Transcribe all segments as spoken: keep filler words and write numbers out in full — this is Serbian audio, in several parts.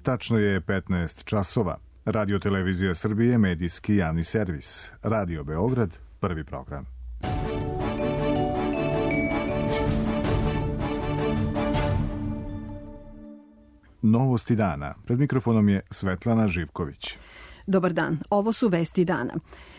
Tačno je petnaest časova. Radio Televizija Srbije, medijski javni servis. Radio Beograd, prvi program. Novosti dana. Pred mikrofonom je Svetlana Živković. Dobar dan, ovo su vesti dana.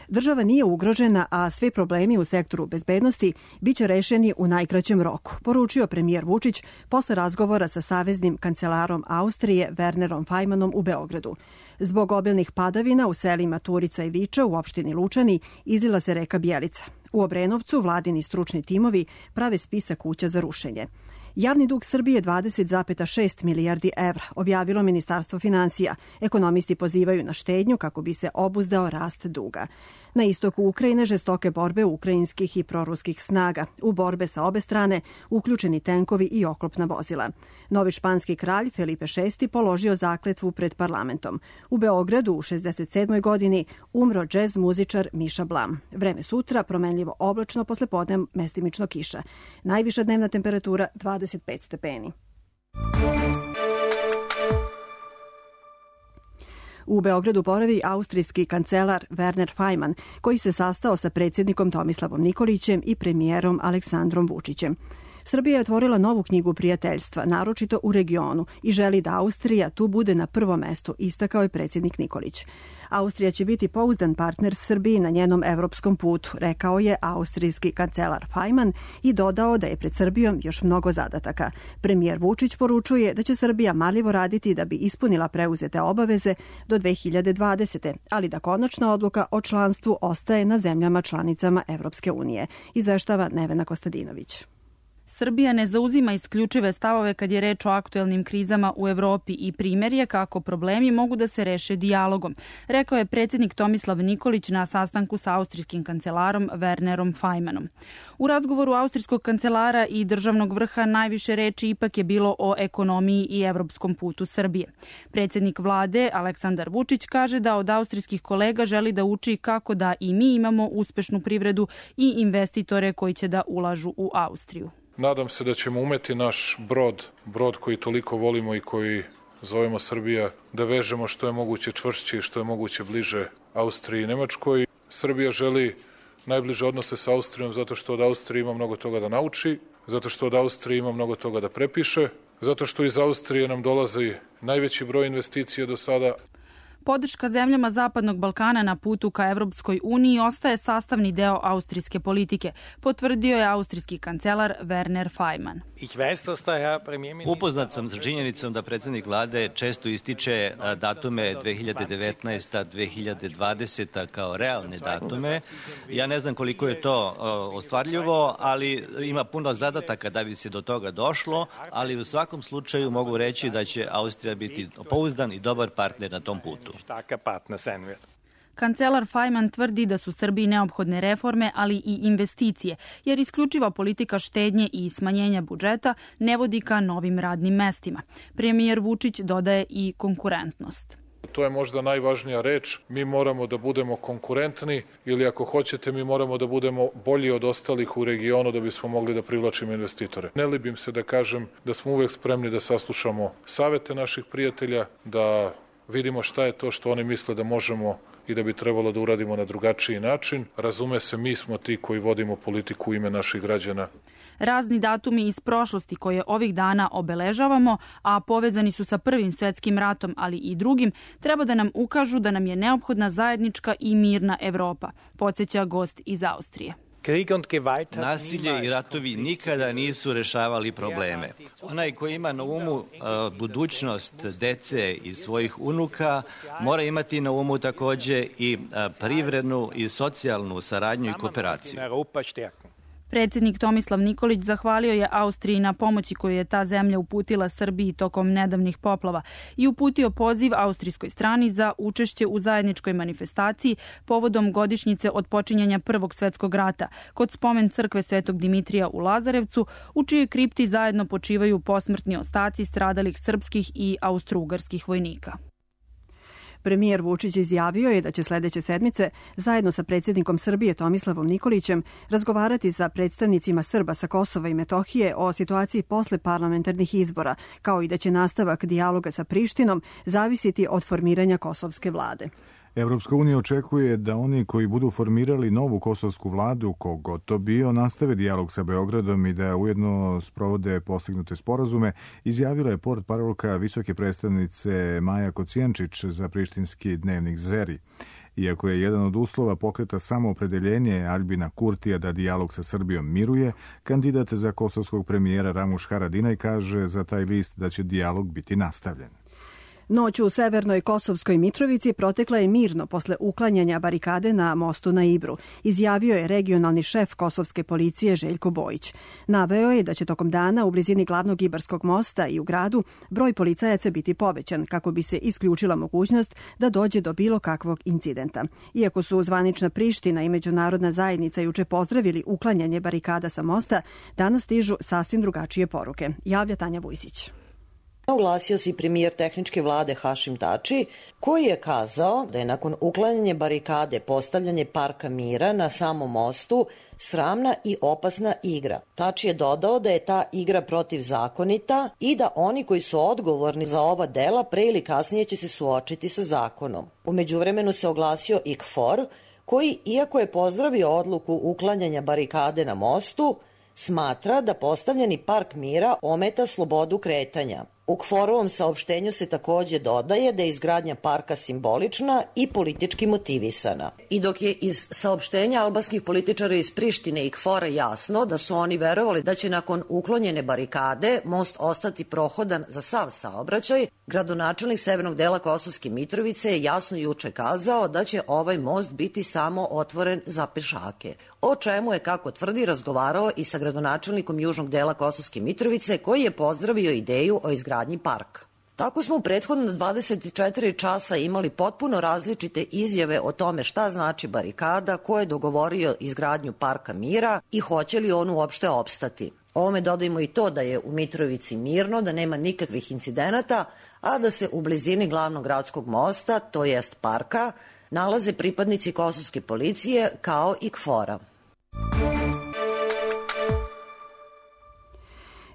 Država nije ugrožena, a svi problemi u sektoru bezbednosti biće rešeni u najkraćem roku, poručio premijer Vučić posle razgovora sa saveznim kancelarom Austrije Wernerom Fajmanom u Beogradu. Zbog obilnih padavina u selima Turica i Viča u opštini Lučani izlila se reka Bjelica. U Obrenovcu vladini stručni timovi prave spisak kuća za rušenje. Javni dug Srbije dvadeset zarez šest milijardi evra, objavilo Ministarstvo finansija. Ekonomisti pozivaju na štednju kako bi se obuzdao rast duga. Na istoku Ukrajine žestoke borbe ukrajinskih i proruskih snaga. U borbe sa obe strane uključeni tenkovi i oklopna vozila. Novi španski kralj Felipe šesti položio zakletvu pred parlamentom. U Beogradu u šezdeset sedmoj godini umro džez muzičar Miša Blam. Vreme sutra promenljivo oblačno, poslepodne mestimično kiša. Najviša dnevna temperatura dvadeset pet stepeni. U Beogradu boravi austrijski kancelar Werner Fajman, koji se sastao sa predsjednikom Tomislavom Nikolićem i premijerom Aleksandrom Vučićem. Srbija je otvorila novu knjigu prijateljstva, naročito u regionu, i želi da Austrija tu bude na prvom mestu, istakao je predsjednik Nikolić. Austrija će biti pouzdan partner Srbiji na njenom evropskom putu, rekao je austrijski kancelar Fajman i dodao da je pred Srbijom još mnogo zadataka. Premijer Vučić poručuje da će Srbija marljivo raditi da bi ispunila preuzete obaveze do dve hiljade dvadesete. ali da konačna odluka o članstvu ostaje na zemljama članicama Evropske unije, izveštava Nevena Kostadinović. Srbija ne zauzima isključive stavove kad je reč o aktuelnim krizama u Evropi i primer je kako problemi mogu da se reše dijalogom, rekao je predsjednik Tomislav Nikolić na sastanku sa austrijskim kancelarom Wernerom Fajmanom. U razgovoru austrijskog kancelara i državnog vrha najviše reči ipak je bilo o ekonomiji i evropskom putu Srbije. Predsjednik vlade Aleksandar Vučić kaže da od austrijskih kolega želi da uči kako da i mi imamo uspešnu privredu i investitore koji će da ulažu u Austriju. Nadam se da ćemo umeti naš brod, brod koji toliko volimo i koji zovemo Srbija, da vežemo što je moguće čvršće i što je moguće bliže Austriji i Nemačkoj. Srbija želi najbliže odnose sa Austrijom zato što od Austrije ima mnogo toga da nauči, zato što od Austrije ima mnogo toga da prepiše, zato što iz Austrije nam dolazi najveći broj investicija do sada. Podrška zemljama Zapadnog Balkana na putu ka Evropskoj uniji ostaje sastavni deo austrijske politike, potvrdio je austrijski kancelar Werner Fajman. Upoznat sam sa činjenicom da predsjednik vlade često ističe datume dve hiljade devetnaesta. dve hiljade dvadeseta. kao realne datume. Ja ne znam koliko je to ostvarljivo, ali ima puno zadataka da bi se do toga došlo, ali u svakom slučaju mogu reći da će Austrija biti pouzdan i dobar partner na tom putu. Kancelar Fajman tvrdi da su Srbiji neophodne reforme, ali i investicije, jer isključiva politika štednje i smanjenja budžeta ne vodi ka novim radnim mestima. Premijer Vučić dodaje i konkurentnost. To je možda najvažnija reč. Mi moramo da budemo konkurentni ili ako hoćete mi moramo da budemo bolji od ostalih u regionu da bismo mogli da privlačimo investitore. Ne libim se da kažem da smo uvek spremni da saslušamo savete naših prijatelja, da vidimo šta je to što oni misle da možemo i da bi trebalo da uradimo na drugačiji način. Razume se, mi smo ti koji vodimo politiku u ime naših građana. Razni datumi iz prošlosti koje ovih dana obeležavamo, a povezani su sa Prvim svetskim ratom, ali i drugim, treba da nam ukažu da nam je neophodna zajednička i mirna Evropa, podsjeća gost iz Austrije. Nasilje i ratovi nikada nisu rešavali probleme. Onaj koji ima na umu uh, budućnost dece i svojih unuka mora imati na umu takođe i uh, privrednu i socijalnu saradnju i kooperaciju. Predsjednik Tomislav Nikolić zahvalio je Austriji na pomoći koju je ta zemlja uputila Srbiji tokom nedavnih poplava i uputio poziv austrijskoj strani za učešće u zajedničkoj manifestaciji povodom godišnjice od počinjanja Prvog svetskog rata kod spomen crkve Svetog Dimitrija u Lazarevcu, u čijoj kripti zajedno počivaju posmrtni ostaci stradalih srpskih i austrougarskih vojnika. Premijer Vučić izjavio je da će sledeće sedmice zajedno sa predsjednikom Srbije Tomislavom Nikolićem razgovarati sa predstavnicima Srba sa Kosova i Metohije o situaciji posle parlamentarnih izbora, kao i da će nastavak dijaloga sa Prištinom zavisiti od formiranja kosovske vlade. Evropska unija očekuje da oni koji budu formirali novu kosovsku vladu, kogod to bio, nastave dijalog sa Beogradom i da ujedno sprovode postignute sporazume, izjavila je portparolka visoke predstavnice Maja Kocijančić za prištinski dnevnik Zeri. Iako je jedan od uslova pokreta samoopredeljenje Albina Kurtija da dijalog sa Srbijom miruje, kandidat za kosovskog premijera Ramuš Haradinaj kaže za taj list da će dijalog biti nastavljen. Noć u severnoj Kosovskoj Mitrovici protekla je mirno posle uklanjanja barikade na mostu na Ibru, izjavio je regionalni šef kosovske policije Željko Bojić. Naveo je da će tokom dana u blizini glavnog Ibarskog mosta i u gradu broj policajaca biti povećan kako bi se isključila mogućnost da dođe do bilo kakvog incidenta. Iako su zvanična Priština i međunarodna zajednica juče pozdravili uklanjanje barikada sa mosta, danas stižu sasvim drugačije poruke, javlja Tanja Vujsić. Oglasio se i premijer tehničke vlade Hašim Tači, koji je kazao da je nakon uklanjanja barikade postavljanje parka mira na samom mostu sramna i opasna igra. Tači je dodao da je ta igra protivzakonita i da oni koji su odgovorni za ova dela pre ili kasnije će se suočiti sa zakonom. U međuvremenu se oglasio i K F O R, koji, iako je pozdravio odluku uklanjanja barikade na mostu, smatra da postavljeni park mira ometa slobodu kretanja. U K F O R-ovom saopštenju se takođe dodaje da je izgradnja parka simbolična i politički motivisana. I dok je iz saopštenja albanskih političara iz Prištine i K F O R-a jasno da su oni verovali da će nakon uklonjene barikade most ostati prohodan za sav saobraćaj, gradonačelnik severnog dela Kosovske Mitrovice je jasno juče kazao da će ovaj most biti samo otvoren za pešake. O čemu je, kako tvrdi, razgovarao i sa gradonačelnikom južnog dela Kosovske Mitrovice, koji je pozdravio ideju o izgradnji parka. Tako smo u prethodno dvadeset četiri časa imali potpuno različite izjave o tome šta znači barikada, ko je dogovorio izgradnju parka mira i hoće li on uopšte opstati. Ovome dodajmo i to da je u Mitrovici mirno, da nema nikakvih incidenata, a da se u blizini glavnog gradskog mosta, to jest parka, nalaze pripadnici kosovske policije kao i K F O R-a.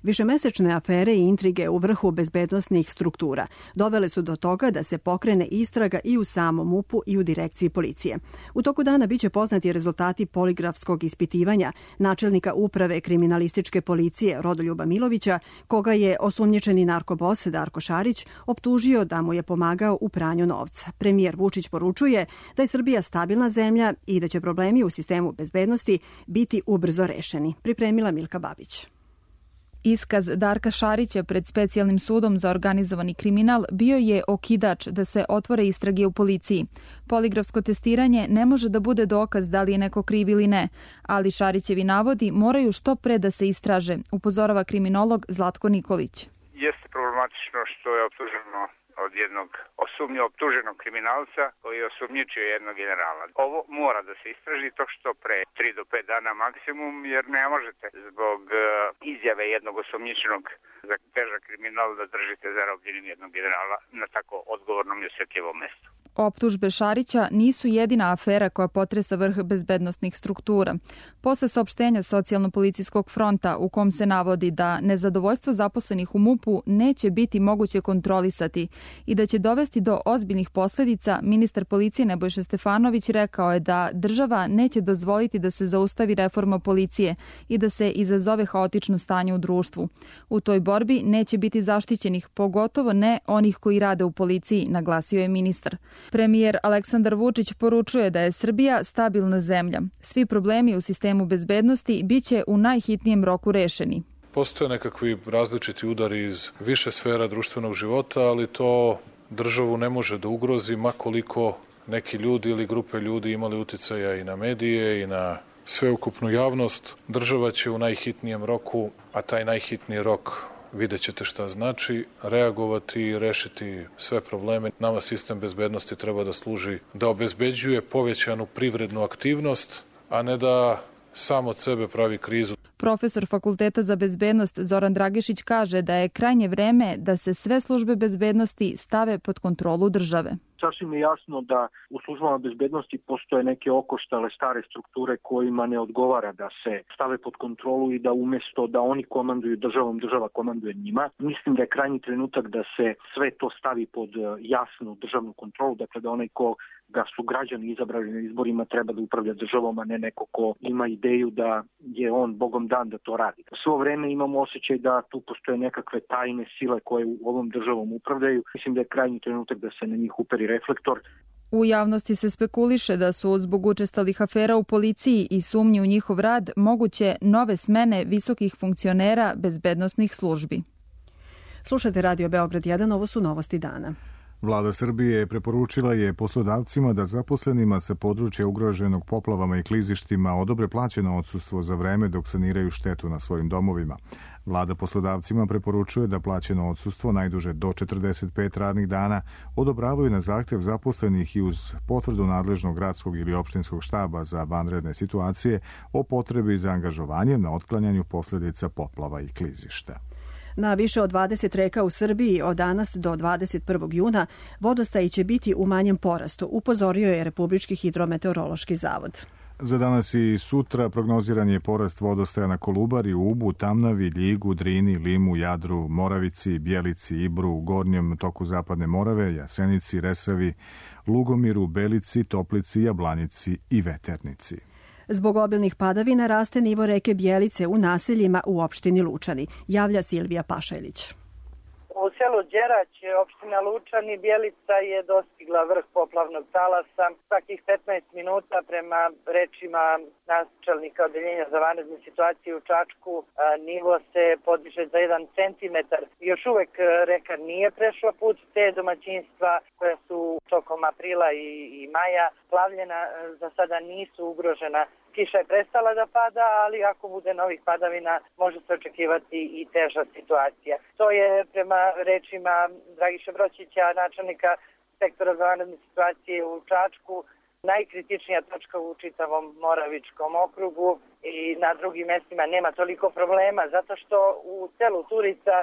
Višemesečne afere i intrige u vrhu bezbednosnih struktura dovele su do toga da se pokrene istraga i u samom M U P-u i u direkciji policije. U toku dana biće poznati rezultati poligrafskog ispitivanja načelnika uprave kriminalističke policije Rodoljuba Milovića, koga je osumnjičeni narkobos Darko Šarić optužio da mu je pomagao u pranju novca. Premijer Vučić poručuje da je Srbija stabilna zemlja i da će problemi u sistemu bezbednosti biti ubrzo rešeni. Pripremila Milka Babić. Iskaz Darka Šarića pred specijalnim sudom za organizovani kriminal bio je okidač da se otvore istrage u policiji. Poligrafsko testiranje ne može da bude dokaz da li je neko kriv ili ne, ali Šarićevi navodi moraju što pre da se istraže, upozorava kriminolog Zlatko Nikolić. Jeste problematično što je optuženo od jednog osumnje optuženog kriminalca koji je osumnjičio jednog generala. Ovo mora da se istraži to što pre, tri do pet dana maksimum, jer ne možete zbog uh, izjave jednog osumnjičenog za težak kriminal da držite zarobljenim jednog generala na tako odgovornom i osjetljivom mestu. Optužbe Šarića nisu jedina afera koja potresa vrh bezbednosnih struktura. Posle saopštenja Socijalno-policijskog fronta u kom se navodi da nezadovoljstvo zaposlenih u M U P-u neće biti moguće kontrolisati i da će dovesti do ozbiljnih posledica, ministar policije Nebojša Stefanović rekao je da država neće dozvoliti da se zaustavi reforma policije i da se izazove haotično stanje u društvu. U toj borbi neće biti zaštićenih, pogotovo ne onih koji rade u policiji, naglasio je ministar. Premijer Aleksandar Vučić poručuje da je Srbija stabilna zemlja. Svi problemi u sistemu bezbednosti biće u najhitnijem roku rešeni. Postoje nekakvi različiti udari iz više sfera društvenog života, ali to državu ne može da ugrozi, ma koliko neki ljudi ili grupe ljudi imali uticaja i na medije i na sveukupnu javnost. Država će u najhitnijem roku, a taj najhitniji rok vidjet ćete šta znači, reagovati i rešiti sve probleme. Nama sistem bezbednosti treba da služi da obezbeđuje povećanu privrednu aktivnost, a ne da sam od sebe pravi krizu. Profesor Fakulteta za bezbednost Zoran Dragišić kaže da je krajnje vreme da se sve službe bezbednosti stave pod kontrolu države. Sasvim je jasno da u službama bezbednosti postoje neke okoštale stare strukture kojima ne odgovara da se stave pod kontrolu i da umesto da oni komanduju državom, država komanduje njima. Mislim da je krajnji trenutak da se sve to stavi pod jasnu državnu kontrolu, dakle da onaj ko ga su građani izabrali na izborima treba da upravlja državom, a ne neko ko ima ideju da je on bogom dan da to radi. Svo vreme imamo osjećaj da tu postoje nekakve tajne sile koje u ovom državom upravljaju. Mislim da je krajnji trenutak da se na njih uperi reflektor. U javnosti se spekuliše da su zbog učestalih afera u policiji i sumnji u njihov rad moguće nove smene visokih funkcionera bezbednosnih službi. Slušajte Radio Beograd jedan, ovo su novosti dana. Vlada Srbije preporučila je poslodavcima da zaposlenima sa područja ugroženog poplavama i klizištima odobre plaćeno odsustvo za vreme dok saniraju štetu na svojim domovima. Vlada poslodavcima preporučuje da plaćeno odsustvo najduže do četrdeset pet radnih dana odobravaju na zahtev zaposlenih i uz potvrdu nadležnog gradskog ili opštinskog štaba za vanredne situacije o potrebi za angažovanjem na otklanjanju posledica poplava i klizišta. Na više od dvadeset reka u Srbiji od danas do dvadeset prvog juna vodostaji će biti u manjem porastu, upozorio je Republički hidrometeorološki zavod. Za danas i sutra prognoziran je porast vodostaja na Kolubari, Ubu, Tamnavi, Ljigu, Drini, Limu, Jadru, Moravici, Bjelici, Ibru, Gornjem toku Zapadne Morave, Jasenici, Resavi, Lugomiru, Belici, Toplici, Jablanici i Veternici. Zbog obilnih padavina raste nivo reke Bjelice u naseljima u opštini Lučani, javlja Silvija Pašajlić. U selu Đerać, opština Lučani, Bjelica je dostigla vrh poplavnog talasa. Svakih petnaest minuta prema rečima načelnika odeljenja za vanredne situacije u Čačku nivo se podiže za jedan centimetar. Još uvek reka nije prešla put, te domaćinstva koja su tokom aprila i, i maja plavljena za sada nisu ugrožena. Kiša je prestala da pada, ali ako bude novih padavina, može se očekivati i teža situacija. To je prema rečima Dragiša Broćića, načelnika sektora za vanredne situacije u Čačku, najkritičnija točka u čitavom Moravičkom okrugu i na drugim mestima nema toliko problema, zato što u selu Turica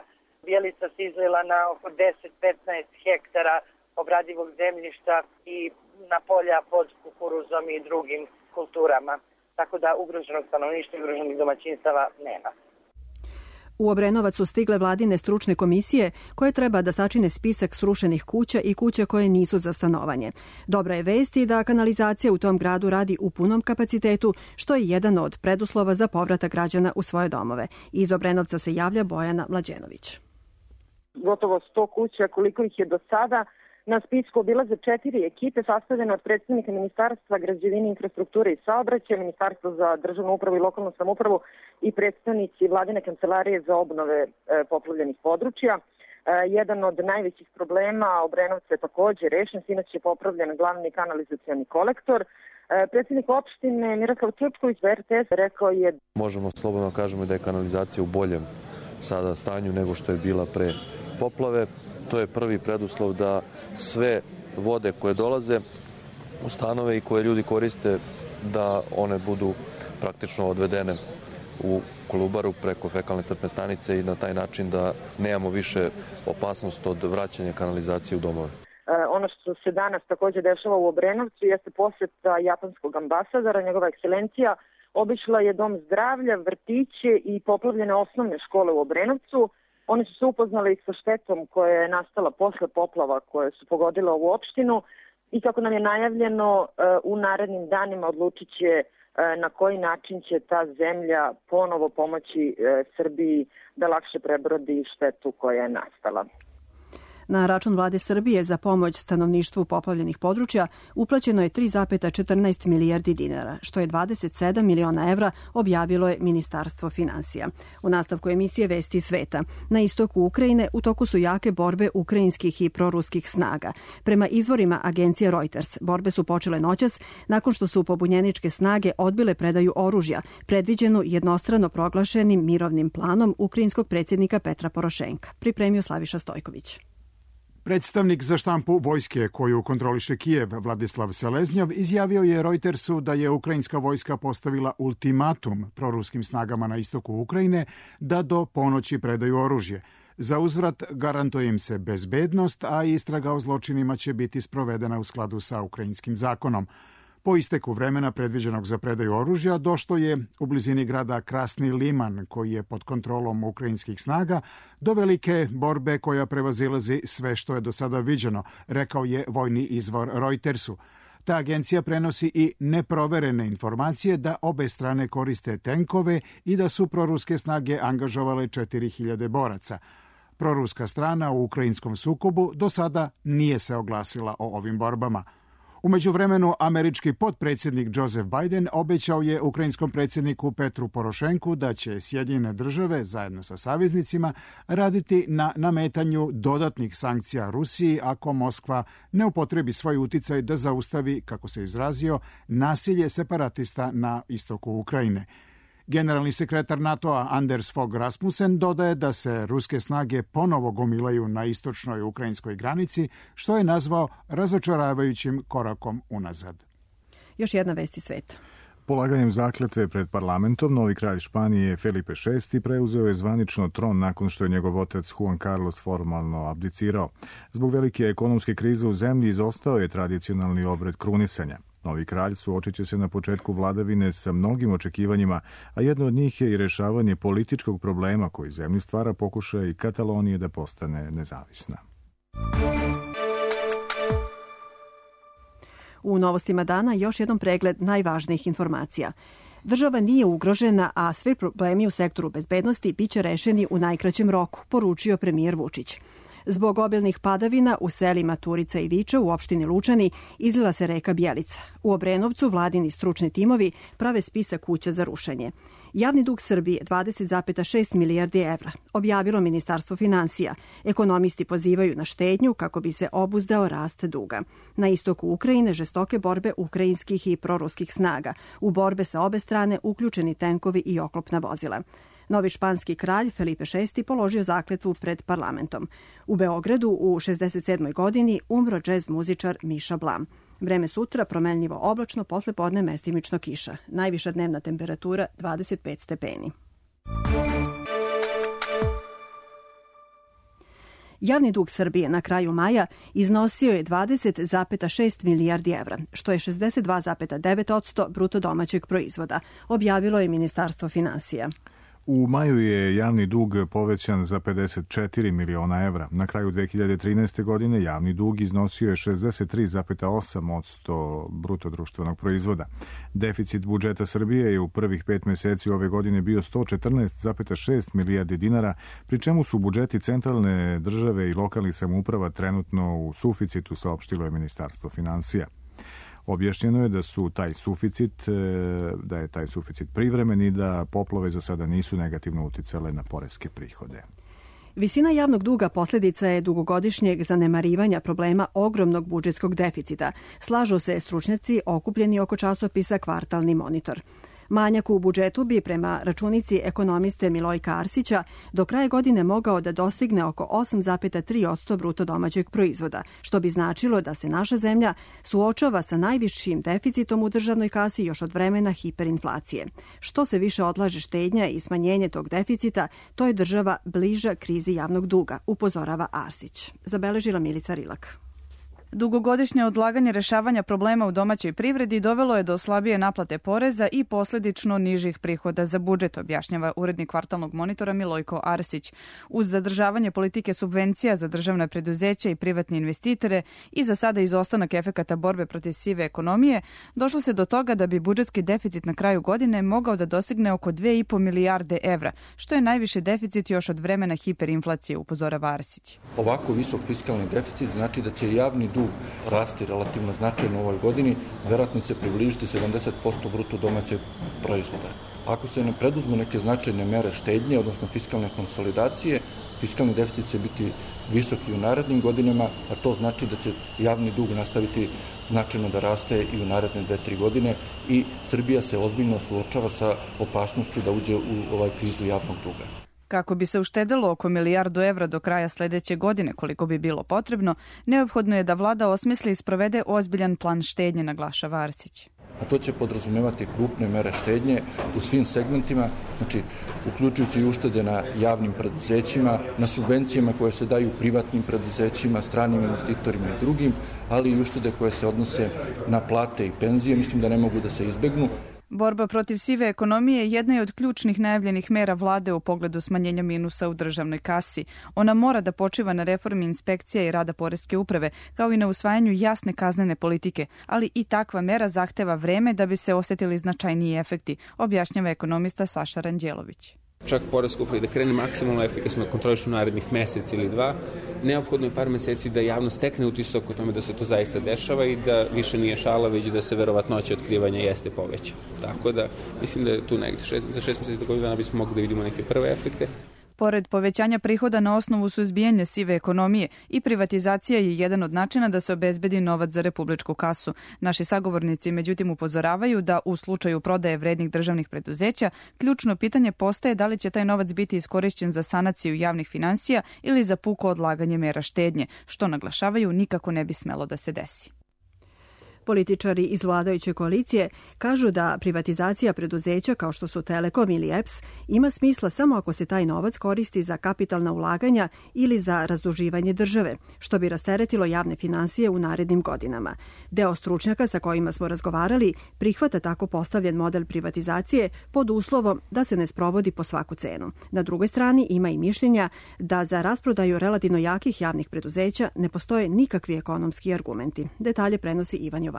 Bjelica se izlila na oko deset do petnaest hektara obradivog zemljišta i na polja pod kukuruzom i drugim kulturama. Tako da ugroženog stanovništva i ugroženih domaćinstava nema. U Obrenovac su stigle vladine stručne komisije koje treba da sačine spisak srušenih kuća i kuća koje nisu za stanovanje. Dobra je vest i da kanalizacija u tom gradu radi u punom kapacitetu, što je jedan od preduslova za povratak građana u svoje domove. Iz Obrenovca se javlja Bojana Mlađenović. Gotovo sto kuća, koliko ih je do sada. Na spisku obilaze četiri ekipe sastavljene od predstavnika Ministarstva građevine, infrastrukture i saobraćaja, Ministarstva za državnu upravu i lokalnu samoupravu i predstavnici vladine kancelarije za obnove e, poplavljenih područja. E, jedan od najvećih problema Obrenovca je takođe rešen, sinoć je popravljen glavni kanalizacioni kolektor. E, predsednik opštine Miroslav Čučković za R T S rekao je: Možemo slobodno kažemo da je kanalizacija u boljem sada stanju nego što je bila pre poplave. To je prvi preduslov da sve vode koje dolaze u stanove i koje ljudi koriste, da one budu praktično odvedene u Kolubaru preko fekalne crpne stanice i na taj način da nemamo više opasnost od vraćanja kanalizacije u domove. Ono što se danas takođe dešava u Obrenovcu jeste poseta japanskog ambasadora, njegova ekscelencija obišla je dom zdravlja, vrtiće i poplavljene osnovne škole u Obrenovcu. Oni su se upoznali sa štetom koja je nastala posle poplava koje su pogodile ovu opštinu i kako nam je najavljeno u narednim danima odlučit će na koji način će ta zemlja ponovo pomoći Srbiji da lakše prebrodi štetu koja je nastala. Na račun vlade Srbije za pomoć stanovništvu poplavljenih područja uplaćeno je tri zarez četrnaest milijardi dinara, što je dvadeset sedam miliona evra, objavilo je Ministarstvo finansija. U nastavku emisije Vesti sveta, na istoku Ukrajine u toku su jake borbe ukrajinskih i proruskih snaga. Prema izvorima agencije Reuters, borbe su počele noćas nakon što su pobunjeničke snage odbile predaju oružja, predviđenu jednostrano proglašenim mirovnim planom ukrajinskog predsjednika Petra Porošenka. Pripremio Slaviša Stojković. Predstavnik za štampu vojske koju kontroliše Kijev, Vladislav Seleznjov, izjavio je Reutersu da je ukrajinska vojska postavila ultimatum proruskim snagama na istoku Ukrajine da do ponoći predaju oružje. Za uzvrat garantuje im se bezbednost, a istraga o zločinima će biti sprovedena u skladu sa ukrajinskim zakonom. Po isteku vremena predviđenog za predaju oružja došlo je u blizini grada Krasni Liman, koji je pod kontrolom ukrajinskih snaga, do velike borbe koja prevazilazi sve što je do sada viđeno, rekao je vojni izvor Reutersu. Ta agencija prenosi i neproverene informacije da obe strane koriste tenkove i da su proruske snage angažovale četiri hiljade boraca. Proruska strana u ukrajinskom sukobu do sada nije se oglasila o ovim borbama. U međuvremenu, američki potpredsjednik Joseph Biden obećao je ukrajinskom predsjedniku Petru Porošenku da će Sjedinjene države, zajedno sa saveznicima, raditi na nametanju dodatnih sankcija Rusiji ako Moskva ne upotrebi svoj uticaj da zaustavi, kako se izrazio, nasilje separatista na istoku Ukrajine. Generalni sekretar NATO-a Anders Fogh Rasmussen dodaje da se ruske snage ponovo gomilaju na istočnoj ukrajinskoj granici, što je nazvao razočaravajućim korakom unazad. Još jedna vest iz sveta. Polaganjem zakletve pred parlamentom, novi kralj Španije Felipe šesti preuzeo je zvanično tron nakon što je njegov otac Juan Carlos formalno abdicirao. Zbog velike ekonomske krize u zemlji izostao je tradicionalni obred krunisanja. Novi kralj suočit će se na početku vladavine sa mnogim očekivanjima, a jedno od njih je i rešavanje političkog problema koji zemlji stvara pokušaj Katalonije da postane nezavisna. U novostima dana još jedan pregled najvažnijih informacija. Država nije ugrožena, a sve problemi u sektoru bezbednosti biće rešeni u najkraćem roku, poručio premijer Vučić. Zbog obilnih padavina u selima Turica i Viča u opštini Lučani izlila se reka Bjelica. U Obrenovcu vladini stručni timovi prave spisak kuća za rušenje. Javni dug Srbije dvadeset zarez šest milijardi evra, objavilo Ministarstvo finansija. Ekonomisti pozivaju na štednju kako bi se obuzdao rast duga. Na istoku Ukrajine žestoke borbe ukrajinskih i proruskih snaga. U borbe sa obe strane uključeni tenkovi i oklopna vozila. Novi španski kralj Felipe šesti položio zakletvu pred parlamentom. U Beogradu u šezdeset sedmoj godini umro džez muzičar Miša Blam. Vreme sutra promenljivo oblačno, posle podne mestimično kiša. Najviša dnevna temperatura dvadeset pet stepeni. Javni dug Srbije na kraju maja iznosio je dvadeset zarez šest milijardi evra, što je šezdeset dva zarez devet posto bruto domaćeg proizvoda, objavilo je Ministarstvo finansija. U maju je javni dug povećan za pedeset četiri miliona evra. Na kraju dve hiljade trinaeste. godine javni dug iznosio je šezdeset tri zarez osam posto bruto društvenog proizvoda. Deficit budžeta Srbije je u prvih pet meseci ove godine bio sto četrnaest zarez šest milijardi dinara, pri čemu su budžeti centralne države i lokalnih samouprava trenutno u suficitu, saopštilo je Ministarstvo finansija. Objašnjeno je da su taj suficit, da je taj suficit privremen i da poplave za sada nisu negativno uticale na poreske prihode. Visina javnog duga posljedica je dugogodišnjeg zanemarivanja problema ogromnog budžetskog deficita, slažu se stručnjaci okupljeni oko časopisa Kvartalni monitor. Manjak u budžetu bi prema računici ekonomiste Milojka Arsića do kraja godine mogao da dostigne oko osam zarez tri posto bruto domaćeg proizvoda, što bi značilo da se naša zemlja suočava sa najvišim deficitom u državnoj kasi još od vremena hiperinflacije. Što se više odlaže štednja i smanjenje tog deficita, to je država bliža krizi javnog duga, upozorava Arsić. Zabeležila Milica Rilak. Dugogodišnje odlaganje rešavanja problema u domaćoj privredi dovelo je do slabije naplate poreza i posljedično nižih prihoda za budžet, objašnjava urednik Kvartalnog monitora Milojko Arsić. Uz zadržavanje politike subvencija za državna preduzeća i privatne investitore i za sada izostanak efekata borbe protiv sive ekonomije, došlo se do toga da bi budžetski deficit na kraju godine mogao da dostigne oko dve i po milijarde evra, što je najviše deficit još od vremena hiperinflacije, upozorava Arsić. Ovako visok fiskalni deficit znači da će javni dug rasti relativno značajno u ovoj godini, verovatno će se približiti sedamdeset posto bruto domaćeg proizvoda. Ako se ne preduzmu neke značajne mere štednje, odnosno fiskalne konsolidacije, fiskalni deficit će biti visok i u narednim godinama, a to znači da će javni dug nastaviti značajno da raste i u naredne dve, tri godine i Srbija se ozbiljno suočava sa opasnošću da uđe u ovaj krizu javnog duga. Kako bi se uštedelo oko milijardu evra do kraja sledeće godine, koliko bi bilo potrebno, neophodno je da vlada osmisli i sprovede ozbiljan plan štednje, naglašava Arsić. a to će podrazumevati krupne mere štednje u svim segmentima, znači uključujući i uštede na javnim preduzećima, na subvencijama koje se daju privatnim preduzećima, stranim investitorima i drugim, ali i uštede koje se odnose na plate i penzije, mislim da ne mogu da se izbegnu. Borba protiv sive ekonomije jedna je od ključnih najavljenih mera vlade u pogledu smanjenja minusa u državnoj kasi. Ona mora da počiva na reformi inspekcija i rada poreske uprave, kao i na usvajanju jasne kaznene politike, ali i takva mera zahteva vreme da bi se osetili značajniji efekti, objašnjava ekonomista Saša Ranđelović. Čak poreska uprava da krene maksimalno efikasno da kontrolišu narednih mesec ili dva, neophodno je par meseci da javnost stekne utisak o tome da se to zaista dešava i da više nije šala, već da se verovatnoća otkrivanja jeste poveća. Tako da mislim da je tu negdje šest, za šest meseci do godinu dana bismo mogli da vidimo neke prve efekte. Pored povećanja prihoda na osnovu suzbijanja sive ekonomije, i privatizacija je jedan od načina da se obezbedi novac za republičku kasu. Naši sagovornici međutim upozoravaju da u slučaju prodaje vrednih državnih preduzeća, ključno pitanje postaje da li će taj novac biti iskorišćen za sanaciju javnih finansija ili za puko odlaganje mera štednje, što naglašavaju nikako ne bi smelo da se desi. Političari iz vladajuće koalicije kažu da privatizacija preduzeća kao što su Telekom ili E P S ima smisla samo ako se taj novac koristi za kapitalna ulaganja ili za razduživanje države, što bi rasteretilo javne finansije u narednim godinama. Deo stručnjaka sa kojima smo razgovarali prihvata tako postavljen model privatizacije pod uslovom da se ne sprovodi po svaku cenu. Na drugoj strani ima i mišljenja da za rasprodaju relativno jakih javnih preduzeća ne postoje nikakvi ekonomski argumenti. Detalje prenosi Ivan Jovanović.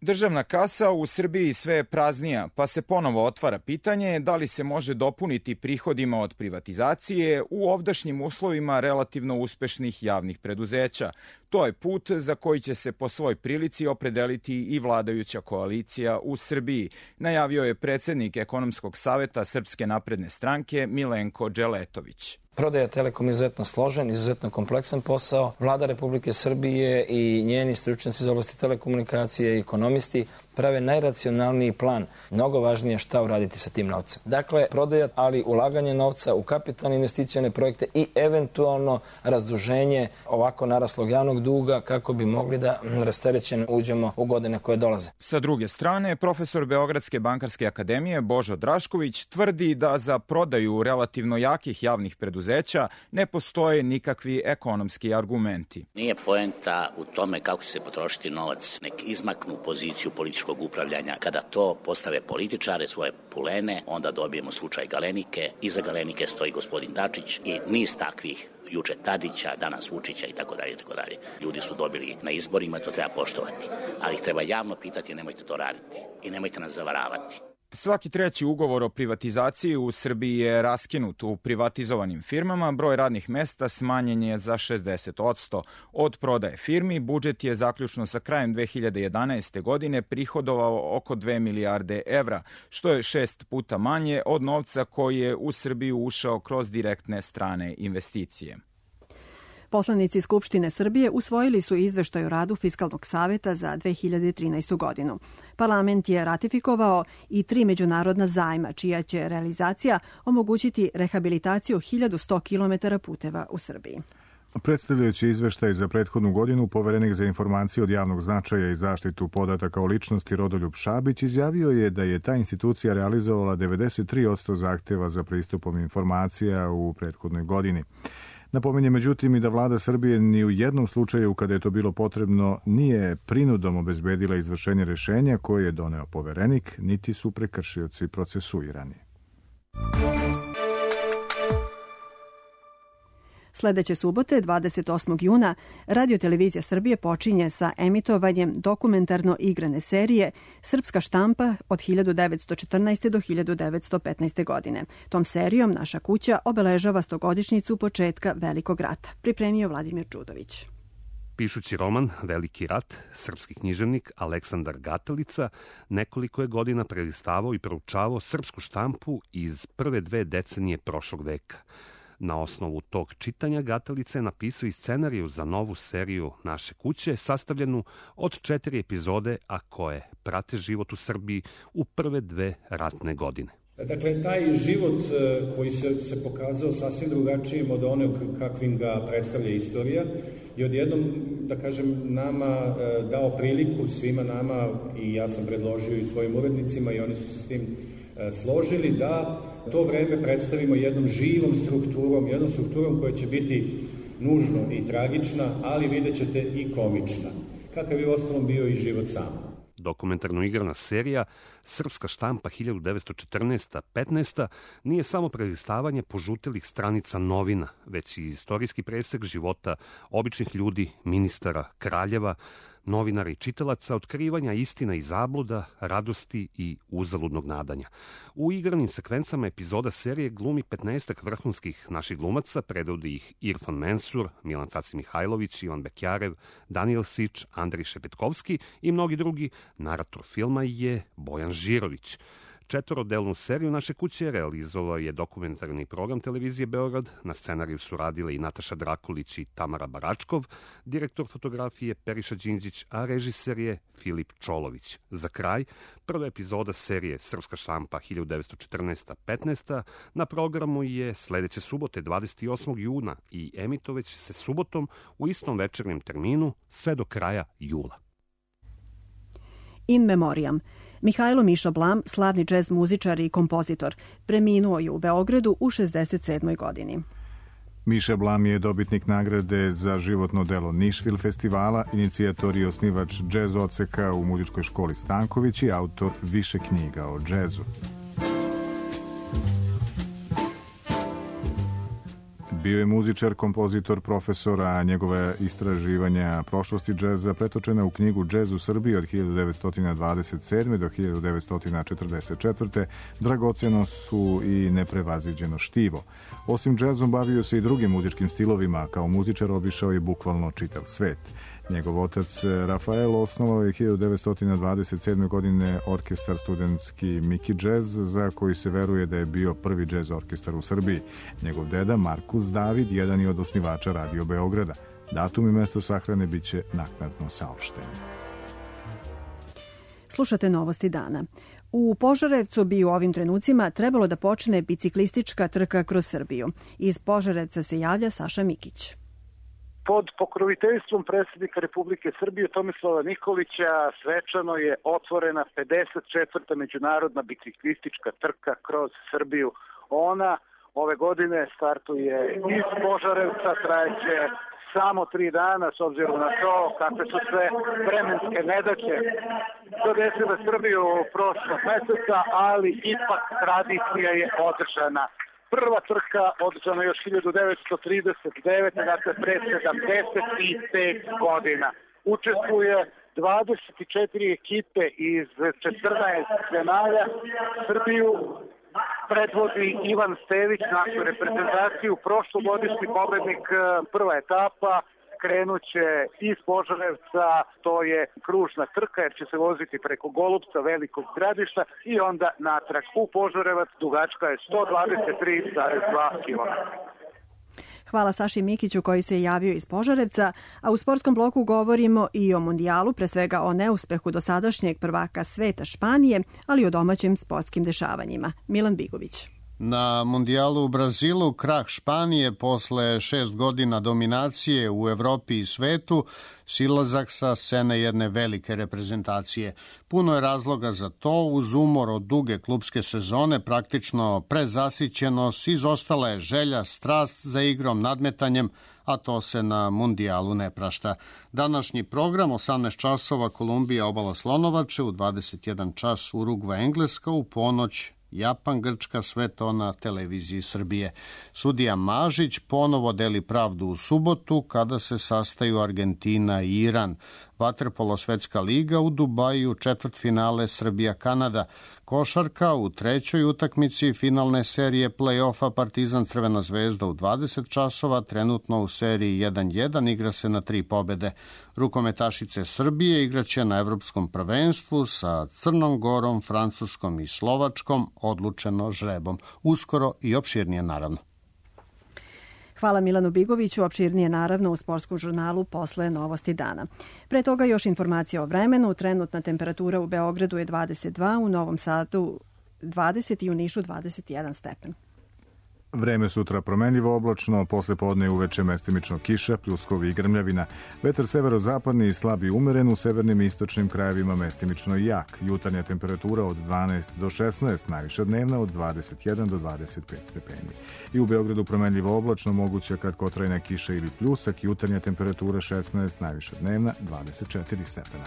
Državna kasa u Srbiji sve je praznija, pa se ponovo otvara pitanje da li se može dopuniti prihodima od privatizacije u ovdašnjim uslovima relativno uspešnih javnih preduzeća. To je put za koji će se po svoj prilici opredeliti i vladajuća koalicija u Srbiji, najavio je predsednik Ekonomskog saveta Srpske napredne stranke Milenko Dželetović. Prodaja Telekom je izuzetno složen, izuzetno kompleksan posao. Vlada Republike Srbije i njeni stručnjaci iz oblasti telekomunikacije i ekonomisti prave najracionalniji plan. Mnogo važnije je šta uraditi sa tim novcem. Dakle, prodaja, ali ulaganje novca u kapitalne investicione projekte i eventualno razduženje ovako naraslog javnog duga kako bi mogli da rasterećeno uđemo u godine koje dolaze. Sa druge strane, profesor Beogradske bankarske akademije Božo Drašković tvrdi da za prodaju relativno jakih javnih preduzeća ne postoje nikakvi ekonomski argumenti. Nije poenta u tome kako će se potrošiti novac, nek izmaknu poziciju političkog upravljanja. Kada to postave političare, svoje pulene, onda dobijemo slučaj Galenike. Iza Galenike stoji gospodin Dačić i niz takvih, juče Tadića, danas Vučića i tako dalje i tako dalje. Ljudi su dobili na izborima, to treba poštovati. Ali ih treba javno pitati, nemojte to raditi i nemojte nas zavaravati. Svaki treći ugovor o privatizaciji u Srbiji je raskinut. U privatizovanim firmama broj radnih mesta smanjen je za šezdeset odsto. Od prodaje firmi budžet je zaključno sa krajem dve hiljade jedanaeste. godine prihodovao oko dve milijarde evra, što je šest puta manje od novca koji je u Srbiju ušao kroz direktne strane investicije. Poslanici Skupštine Srbije usvojili su izveštaj o radu Fiskalnog saveta za dve hiljade trinaestu. godinu. Parlament je ratifikovao i tri međunarodna zajma, čija će realizacija omogućiti rehabilitaciju hiljadu sto kilometara puteva u Srbiji. Predstavljajući izveštaj za prethodnu godinu, poverenik za informacije od javnog značaja i zaštitu podataka o ličnosti Rodoljub Šabić izjavio je da je ta institucija realizovala devedeset tri odsto zahteva za pristupom informacija u prethodnoj godini. Napominje međutim i da vlada Srbije ni u jednom slučaju kada je to bilo potrebno nije prinudom obezbedila izvršenje rešenja koje je doneo poverenik, niti su prekršioci procesuirani. Sledeće subote, dvadeset osmog juna, Radio-televizija Srbije počinje sa emitovanjem dokumentarno igrane serije Srpska štampa od hiljadu devetsto četrnaeste. do hiljadu devetsto petnaeste. godine. Tom serijom naša kuća obeležava stogodišnjicu početka Velikog rata. Pripremio Vladimir Đudović. Pišući roman Veliki rat, srpski književnik Aleksandar Gatalica nekoliko je godina prelistavao i proučavao srpsku štampu iz prve dve decenije prošlog veka. Na osnovu tog čitanja Gatalica je napisao i scenariju za novu seriju Naše kuće, sastavljenu od četiri epizode, a koje prate život u Srbiji u prve dve ratne godine. Dakle, taj život koji se, se pokazao sasvim drugačijim od onog kakvim ga predstavlja istorija i odjednom, da kažem, nama dao priliku, svima nama, i ja sam predložio i svojim urednicima i oni su se s tim složili, da to vreme predstavimo jednom živom strukturom, jednom strukturom koja će biti nužno i tragična, ali vidjet ćete i komična. Kakav je u ostalom bio i život sam. Dokumentarno-igrana serija Srpska štampa hiljadu devetsto četrnaesta petnaesta nije samo prelistavanje požutelih stranica novina, već i istorijski presek života običnih ljudi, ministara, kraljeva, novinara i čitalaca, otkrivanja istina i zabluda, radosti i uzaludnog nadanja. U igranim sekvencama epizoda serije glumi petnaestak vrhunskih naših glumaca, predvodi ih Irfan Mensur, Milan Caci Mihajlović, Ivan Bekjarev, Danijel Sič, Andrej Šepetkovski i mnogi drugi. Narator filma je Bojan Žirović. Četvorodelnu seriju Naše kuće realizovao je dokumentarni program televizije Beograd. Na scenariju su radile i Nataša Drakulić i Tamara Baračkov, direktor fotografije Periša Đinđić, a režiser je Filip Čolović. Za kraj, prva epizoda serije Srpska štampa hiljadu devetsto četrnaesta petnaesta na programu je sledeće subote dvadeset osmog juna i emitovaće se subotom u istom večernjem terminu sve do kraja jula. In memoriam. Mihajlo Miša Blam, slavni džez muzičar i kompozitor, preminuo je u Beogradu u šezdeset sedmoj godini. Miša Blam je dobitnik nagrade za životno delo Nišvil festivala, inicijator i osnivač džez odseka u muzičkoj školi Stanković i autor više knjiga o džezu. Bio je muzičar, kompozitor, profesor, a njegove istraživanja prošlosti džeza pretočena u knjigu Džez u Srbiji od hiljadu devetsto dvadeset sedme do hiljadu devetsto četrdeset četvrte dragoceno su i neprevaziđeno štivo. Osim džezom bavio se i drugim muzičkim stilovima, kao muzičar obišao je bukvalno čitav svet. Njegov otac Rafael osnovao je hiljadu devetsto dvadeset sedme godine orkestar studentski Miki Džez, za koji se veruje da je bio prvi džez orkestar u Srbiji. Njegov deda Markus David, jedan je od osnivača Radio Beograda. Datum i mesto sahrane biće naknadno saopšteni. Slušate novosti dana. U Požarevcu bi u ovim trenucima trebalo da počne biciklistička trka kroz Srbiju. Iz Požarevca se javlja Saša Mikić. Pod pokroviteljstvom predsjednika Republike Srbije Tomislava Nikolića svečano je otvorena pedeset četvrta međunarodna biciklistička trka kroz Srbiju. Ona ove godine startuje iz Požarevca, trajeće samo tri dana s obzirom na to kakve su sve vremenske nedaće zadesile Srbiju prošlog meseca, ali ipak tradicija je održana. Prva trka održana još hiljadu devetsto trideset devete. dakle pre sedamdeset pet godina. Učestvuje dvadeset četiri ekipe iz četrnaest zemalja. Srbiju predvodi Ivan Stević, našu reprezentaciju, prošlogodišnji pobednik. Prva etapa krenuće iz Požarevca, to je kružna trka jer će se voziti preko Golubca, Velikog Gradišta i onda natrag u Požarevac, dugačka je sto dvadeset tri zarez dva kilometra. Hvala Saši Mikiću koji se javio iz Požarevca, a u sportskom bloku govorimo i o mundijalu, pre svega o neuspehu dosadašnjeg prvaka sveta Španije, ali i o domaćim sportskim dešavanjima. Milan Bigović. Na mundijalu u Brazilu krah Španije posle šest godina dominacije u Evropi i svetu, silazak sa scene jedne velike reprezentacije. Puno je razloga za to, uz umor od duge klupske sezone, praktično prezasićenost, izostala je želja, strast za igrom, nadmetanjem, a to se na mundijalu ne prašta. Današnji program, osamnaest časova Kolumbija, Obala Slonovače, u dvadeset jedan čas Urugva, Engleska, u ponoć Japan, Grčka, sve to na televiziji Srbije. Sudija Mažić ponovo deli pravdu u subotu kada se sastaju Argentina i Iran. Vaterpolo svetska liga u Dubaju, četvrtfinale Srbija-Kanada. Košarka u trećoj utakmici finalne serije play-offa Partizan Crvena zvezda u dvadeset časova, trenutno u seriji jedan jedan, igra se na tri pobede. Rukometašice Srbije igraće na evropskom prvenstvu sa Crnom Gorom, Francuskom i Slovačkom, odlučeno žrebom. Uskoro i opširnije naravno. Hvala Milanu Bigoviću, opširnije naravno u sportskom žurnalu posle novosti dana. Pre toga još informacija o vremenu. Trenutna temperatura u Beogradu je dvadeset dva, u Novom Sadu dvadeset i u Nišu dvadeset jedan stepen. Vreme sutra promenljivo oblačno, posle podne i uveče mestimično kiša, pljuskovi i grmljavina. Vetar severozapadni i slabi umeren, u severnim i istočnim krajevima mestimično i jak. Jutarnja temperatura od dvanaest do šesnaest, najviša dnevna od dvadeset jedan do dvadeset pet stepeni. I u Beogradu promenljivo oblačno, moguća kratkotrajna kiša ili pljusak, jutarnja temperatura šesnaest, najviša dnevna dvadeset četiri stepena.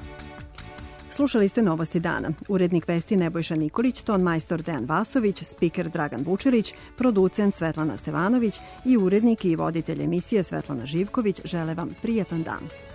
Slušali ste Novosti dana. Urednik vesti Nebojša Nikolić, ton majstor Dejan Vasović, spiker Dragan Vučerić, producent Svetlana Stevanović i urednik i voditelj emisije Svetlana Živković žele vam prijatan dan.